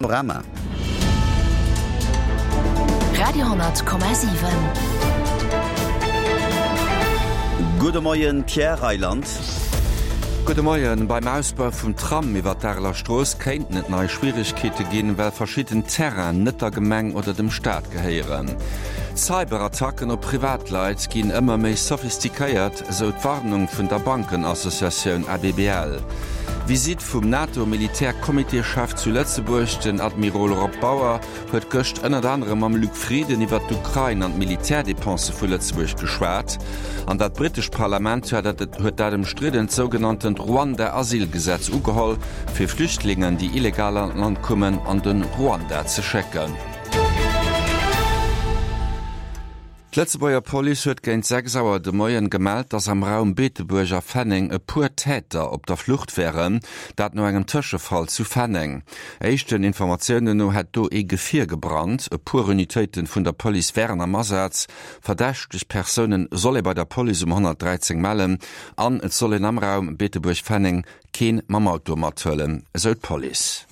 Panorama. Radio,7. Gudde Moien, Pierre Reyland. Gudde Moien. Beim Ausbau vum Tram iwwer d'Areler Strooss kéinten et nei Schwieregkeete ginn, well verschidden Terrainen net der Gemeng oder dem Staat gehéieren. Cyberattacken op Privatleit ginn ëmmer méi sophistiquéiert, esou d'Warnung vun der Bankenassociatioun ABBL. Visitt vum NATO-Militärcomitéschef zu Lëtzebuerg, Den Admirol Rob Bauer huet gëscht ënnert anerem mam Luc Frieden iwwer d'Ukrain an d'Militärdepense vu Lëtzebuerg geschwat. An dat britescht Parlament huet dat ëmstriddent sougenanntent Ruanda-Asylgesetz ugeholl, fir Flüchtlingen, déi illegal an d'Land kommen, an de Ruanda ze schécken. D'Lëtzebuerger Police huet géint 6 Auer de Moien gemellt, dass am Raum Beetebuerg a Fenneng e puer Täter op der Flucht wären, dat no engem Tëschefall zu Fenneng. Éischten Informatiounen no hätt do ee Gefier gebrannt. E puer Unitéiten vun der Police wären am Asaz. Verdächteg Persounen soll ee bei der Police um 113 mellen an et soll een am Raum Beetebuerg-Fenneng keen mam Auto mathuelen, esou d'Police.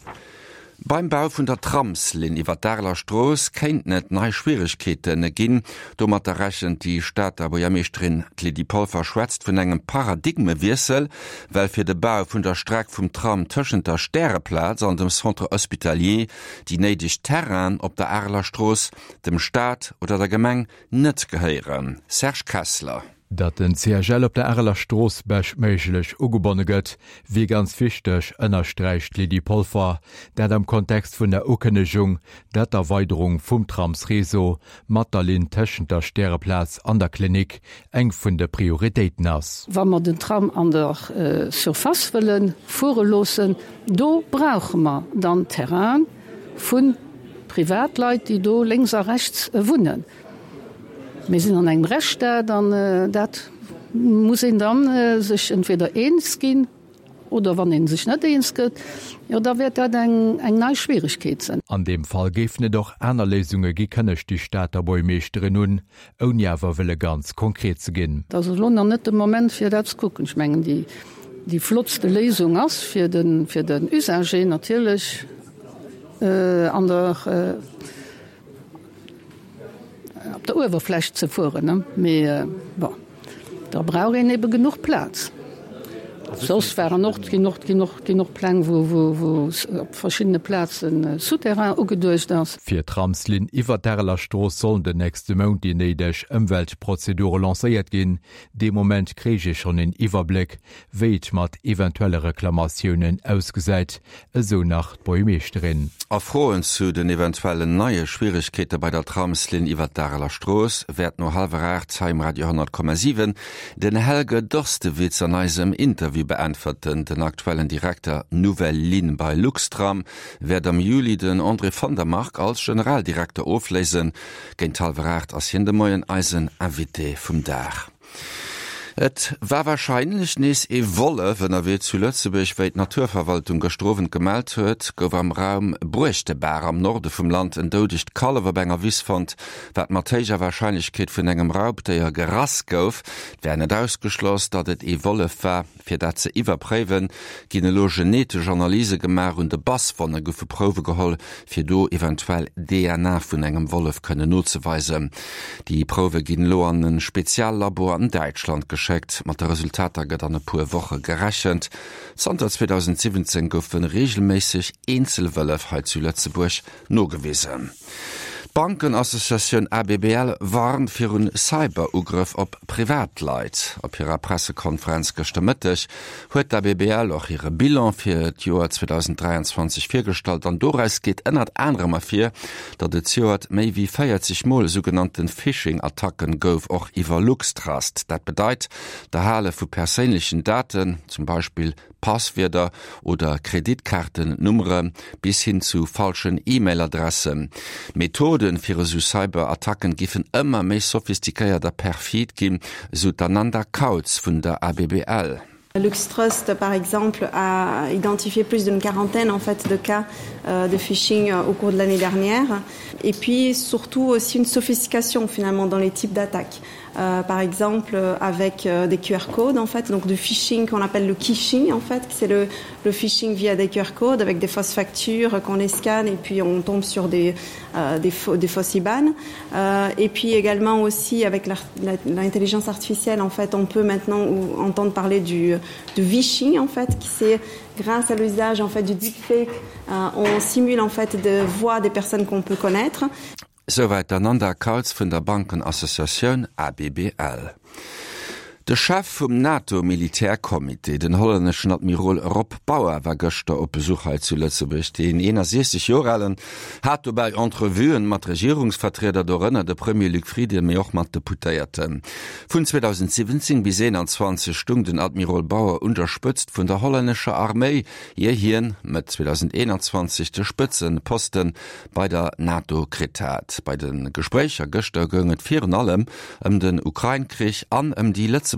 Beim Bau vun der Tramslinn iwwer d'Areler Strooss kéinten et nei Schwieregkeete ginn. Domatter rechent déi Stater Buergermeeschterin. D'Lydie Polfer schwätzt vun engem Paradigmewiessel, well fir de Bau vun der Streck vum Tram tëschent der Stäreplaz an dem Centre Hospitalier déi néideg Terrainen op der Areler Strooss dem Staat oder der Gemeng net gehéieren. Serge Kessler. Datt den CHL op der Areler Strooss beschtméiglech ugebonne gëtt, wier ganz wichteg, ënnersträicht d'Lydie Polfer. Dat am Kontext vun der Ukënnegung, datt d'Erweiderung vum Tramsreseau mat der Linn tëschent der Stäreplaz an der Klinik eng vun de Prioritéiten ass. Wa mer den Tram an der Surface wëlle fuere loossen, do brauche mer dann Terraine vu Privatleit, déi do lénks a rechts wunnen. Mir sinn an engem Rechtsstaat an dat muss een da sech entweder eens ginn oder wann ee sech net eens gëtt, jo da wäert dat eng nei Schwieregkeet sinn. An deem Fall géifen et och aner Léisunge gi, kënnegt déi Stater Buergmeeschterin un, ouni awer wëlle ganz konkret ze ginn. Et ass elo nach net de Moment fir dat ze kucken. Ech mengen déi flottste Léisung ass fir den Usager natierlech an der, op der Uewerfläch ze fueren, mee bon, da brauch een ebe genuch Plaz. Soss waren och, ginn och, ginn och, ginn och Pläng, wou, wou, wou op verschiddene Plaze Souterrain ugeduecht ass. Fir d'Tramslinn iwwer d'Areler Strooss sollen den nächste Mount déi néideg Ëmweltprozedure lancéiert ginn. Dee Moment kréich ee schonn een Iwwerbléck, wéi et mat eventuelle Reklamatiounen ausgesäit, esou nach d'Buergmeeschterin. A Froen zu den eventuellen neie Schwieregkeete bei der Tramslinn iwwer d'Areler Strooss wäert no hallwer 8 hei um Radio 10,7 den Helge Dorstewitz an eisem Interview beäntwerten. Den aktuellen Direkter Nouvelles Lignes bei Luxtram wäert am Juli den André von der Marck als Generaldirekter ofléisen. Géint hallwer 8 ass hien de Moien eisen Invité vum Dag. Et war warscheinlech nees ee Wollef ënnerwee zu Lëtzebuerg. Wéi d'Naturverwaltung gëschter Owend gemellt huet, gouf am Raum Bruechtebaach am Norde vum Land en doudegt Kallef op enger Wiss fonnt, wat mat héijer Warscheinlechkeet vun engem Raubdéier gerass gouf. Et wär net ausgeschloss, datt et ee Wollef war. Fir dat ze iwwerpréiwen, ginn elo genetesch Analyse gemaach. Un de Basswonne goufe Prouwe geholl, fir do eventuell DNA vun engem Wollef kënnen nozeweisen. Déi Prouwe ginn elo an e Speziallabo an Däitschland geschéckt. Mat de Resultater gëtt an e puer Woche gerechent. Zanter 2017 goufe reegelméisseg eenzel Wëllef hei zu Lëtzebuerg nogewisen. D'Bankenassociatioun ABBL warnt virun Cyber-Ugrëff op Privatleit. Op hirer Pressekonferenz gëschter Mëtteg huet d'ABBL och hire Bilan fir d'Joer 2023 virgestallt an doraus geet ënnert anerem ervir, datt et zejoert méi wéi 40 Mol sougenannte Phishing-Attacken gouf, och iwwer Luxtrust. Dat bedeit d'Erhale vu perséinlechen Daten, zum Beispill Passwierder oder Kreditkaartennummere bis hin zu falschen E-Mail-Adressen. D'Methoden fir esou Cyberattacken giffen ëmmer méi sophistiquéiert a perfid ginn, esou d'Ananda Kautz vun der ABBL. LuxTrust par exemple a identifié plus d'une quarantaine en fait de cas de phishing au cours de l'année dernière et puis surtout aussi une sophistication finalement dans les types d'attaques. euh, par exemple avec euh, des QR codes en fait donc du phishing qu'on appelle le kishing en fait c'est le, le phishing via des QR codes avec des fausses factures qu'on les scanne et puis on tombe sur des, euh, des, faux, des fausses IBAN euh, et puis également aussi avec l'intelligence artificielle en fait on peut maintenant ou, entendre parler du, du phishing en fait qui c'est grâce à l'usage en fait du deepfake euh, on simule en fait de voix des personnes qu'on peut connaître. Souwäit d'Ananda Kautz vun der Bankenassociatioun ABBL. De Chef vum NATO-Militärcomité, den hollänneschen Admirol Rob Bauer, war gëschter op Besuch hei zu Lëtzebuerg. Deen 61 Joer alen hat dobäi Entrevuen mat Regierungsvertrieder, dorënner de Premier Luc Frieden, mee och mat Deputéierten. Vun 2017 bis 2021 stung den Admirol Bauer un der Spëtzt vun der hollännescher Arméi, ier hien Mëtt 2021 de Spëtzeposten bei der NATO kritt hat. Bei de Gespréicher gëschter goung et virun allem ëm den Ukrain-Krich an ëm déi lëtzebuergesch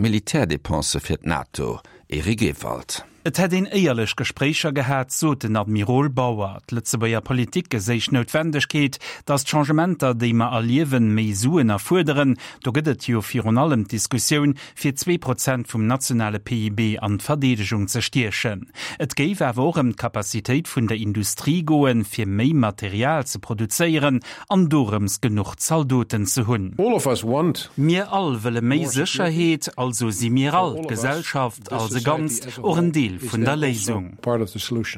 Militärdepensë fir d'NATO. Eric Ewald. Et hätt een éierlech Gespréicher gehat, sot den Admirol Bauer. D'Lëtzebuerger Politik geséich d'Noutwendegkeet, datt d'Changementer, déi mer erliewen, méi Suen erfuerderen. Do gëtt et jo virun allem d'Diskussioun, fir 2% vum nationale PIB an d'Verdeedegung ze stiechen. Et géif awer och ëm d'Capacitéit vun der Industrie goen, fir méi Material ze produzéieren an dorëms genuch Zaldoten ze hunn. Mir all wëlle méi Sécherheet, also si mir all, d'Gesellschaft als e Ganzt, och en Deel vun der Léisung.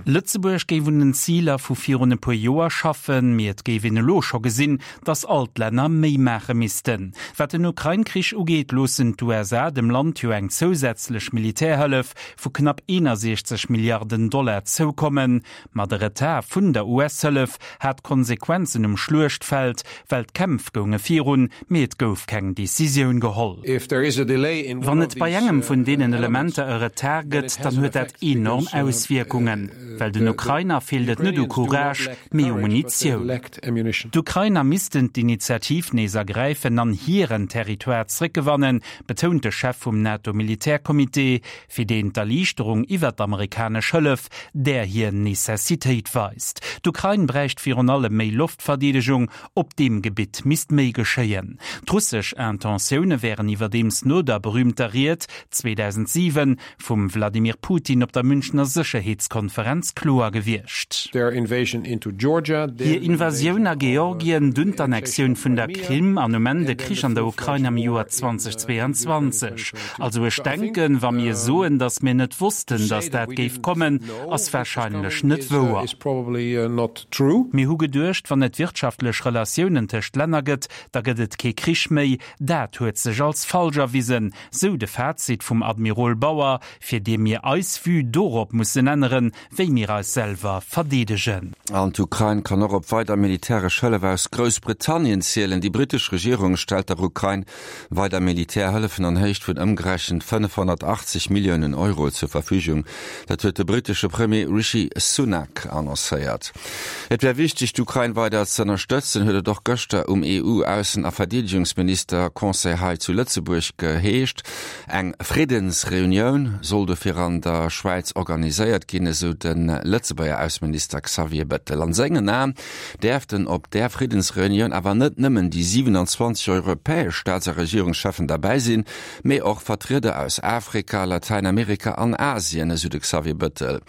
Lëtzebuerg géif un den Ziler vu virun e puer Joer schaffen, mee et géif een elo scho gesinn, datt all d'Länner méi maache missten. Wat den Ukrain-Krich ugeet, loossen d'USA dem Land jo eng zousätzlech Militärhëllef vu knapp 61 Milliarden Dollar zoukommen. Ma de Retard vun der US-Hëllef hat Konsequenzen um Schluechtfeld, well d'Kämpf gounge virun, mee et gouf keng Decisioun geholl. Wann et bei engem vun deenen Elementer e Retard gëtt, dann huet dat enorm Auswierkungen, well den Ukrainer feelt et net u Courage, mee u Munitioun. D'Ukrainer missten d'Initiativ nees ergräifen an hiren Territoire zréckgewannen, betount de Chef vum NATO-Militärcomité, fir deen d'Erliichterung iwwer d'amerikanesch Hëllef där hir Necessitéit weist. D'Ukrain bräicht virun allem méi Loftverdeedegung, op deem Gebitt misst méi geschéien. D'russesch Intentioune wären iwwerdeems no der berüümter Ried 2007 vum Wladimir Putin op der Münchner Sécherheetskonferenz kloer gewiescht. Hir Invasioun a Georgien, dunn d'Annexioun vun der Krim an um Enn de Krich an der Ukrain am Joer 2022. Also ech denken, wa mir soen, datt mir net wossten, datt dat géif kommen, ass warscheinlech net wouer. Mir hu geduecht, wann et wirtschaftlech Relatiounen tëscht Länner gëtt, da gëtt et kee Krich méi. Dat huet sech als falsch erwisen. Sou de Fazit vum Admirol Bauer, fir dee mir eis Vue dorop mussen änneren, wéi mir eis selwer verdeedegen. An d'Ukrain kann och op weider militäresch Hëllef aus Groussbritannien zielen. Déi brittesch Regierung stellt der Ukrain weider Militärhëllefen an Héicht vun ëmgerechent 580 Milliounen Euro zur Verfügung. Dat huet de brittesche Premier Rishi Sunak annoncéiert. Et wär wichteg, d'Ukrain weider z'ënnerstëtzen, huet et och gëschter um EU-Aussen a Verdeedegungsminister-Conseil hei zu Lëtzebuerg geheescht. Eng Friddensreunioun soll dofir an der Schwäiz organiséiert ginn, esou de Lëtzebuerger Ausseminister Xavier Bettel. An sengen Aen däerften op där Friddensreunioun awer net nëmmen déi 27 europäesch Staats a Regierungscheffen derbäi sinn, mee och Vertrieder aus Afrika, Latäinamerika an Asien, esou de Xavier Bettel.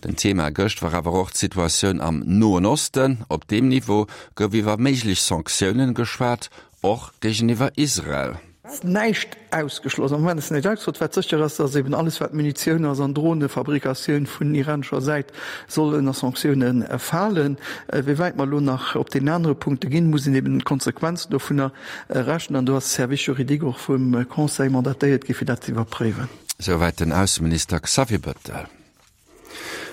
Den Thema gëscht war awer och d'Situatioun am Noen Osten. Op deem Niveau gouf iwwer méiglech Sanktiounen geschwat, och géigeniwwer Israel. Ass näischt ausgeschloss. Am Moment ass näischt ausgeschloss. Wat sécher ass, dass eben alles wat Munitioun ass an Dronefabrikatioun vun iranescher Säit soll ënner Sanktioune falen. Wéi wäit mer elo nach op deenen anere Punkte ginn, muss een eben d'Konsequenzen dovunner rechnen. An do ass de Service juridique och vum Conseil mandatéiert gi fir dat ze iwwerpréiwen. Souwäit den Ausseminister Xavier Bettel.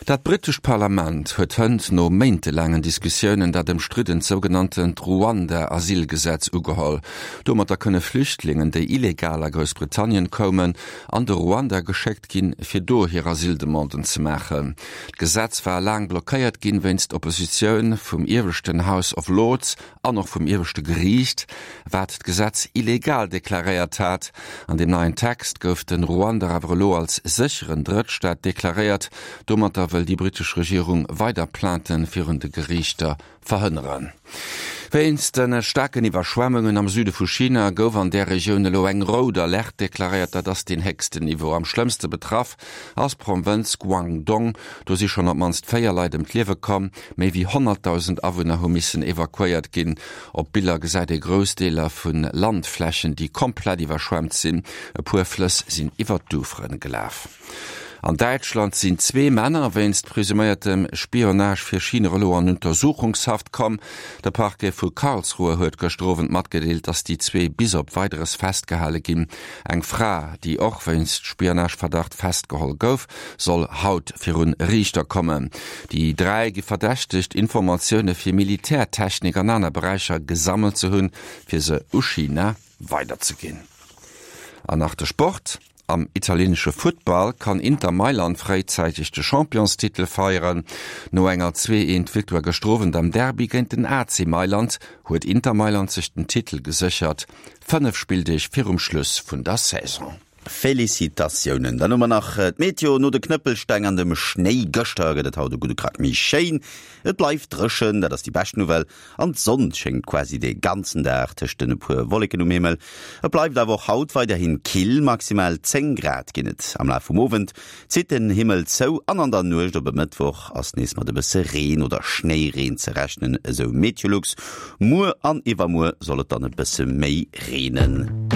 Dat brittescht Parlament huet hënt no méintelaangen Diskussiounen dat ëmstriddent sougenanntent Ruanda-Asylgesetz ugeholl. Domatter kënne Flüchtlingen, déi illegal a Groussbritannien koumen, an de Ruanda geschéckt ginn, fir do hir Asyldemanden ze maachen. D'Gesetz war laang blockéiert ginn, wéinst Oppositioun vum ieweschten House of Lords an och vum ieweschte Geriicht, wat d'Gesetz illegal deklaréiert hat. An deem neien Text gouf de Ruanda awer elo als sécheren Drëttstaat deklaréiert. Domatter wëll déi brittesch Regierung weider Plainten virun de Geriichter verhënneren. Wéinst de staarken Iwwerschwemmungen am Süde vu China gouf an där Regioun elo eng rout Alerte deklaréiert. Dat ass deen héchsten Niveau. Am schlëmmste betraff ass d'Provënz Guangdong. Do si schonn op d'mannst 4 Leit ëm d'Liewe komm. Méi wéi 100.000 Awunner hu missen evakuéiert ginn. Op Biller gesäit ee grouss Deeler vu Landflächen, déi komplett iwwerschwemmt sinn. E puer Flëss sinn iwwer d'Ufere gelaf. An Däitschland sinn zwee Männer wéinst presuméiertem Spionage fir China elo an Untersuchungshaft komm. De Parquet vu Karlsruhe huet gëschter Owend matgedeelt, datt déi zwee bis op Weideres festgehale ginn. Eng Fra, déi och wéinst Spionageverdacht festgeholl gouf, soll haut virun Riichter kommen. Déi 3 gi verdächtegt, Informatioune fir Militärtechnik an aner Beräicher gesammelt ze hunn, fir se u China weiderzeginn. An nach de Sport, Am italienesche Futtball kann Inter Mailand fréizäiteg de Championstitel feieren. No enger 2 Eent Victoire gëschter Owend am Derby géint den AC Mailand huet Inter Mailand sech den Titel geséchert, 5 Spilldeeg virum Schluss vun der Saison. Félicitatiounen! Dann hu mer nach d'Meteo, No de Knëppelsteng an dem Schnéi gëschter gëtt et haut e gudde Krack méi schéin. Et bleift dréchen, dat ass déi bescht Nouvelle, an d'Sonn schéngt quasi de ganzen Dag tëscht den e puer Wolleken um Himmel. Et bleift awer och haut weiderhin kill, maximal 10 Grad ginn et. Am Laf vum Owend zitt den Himmel zou an an der Nuecht op e Mëttwoch ass nees mat e bësse Reen oder Schnéireen ze rechnen, esou Meteolux. Muer an iwwermuer soll et dann e bësse méi reenen.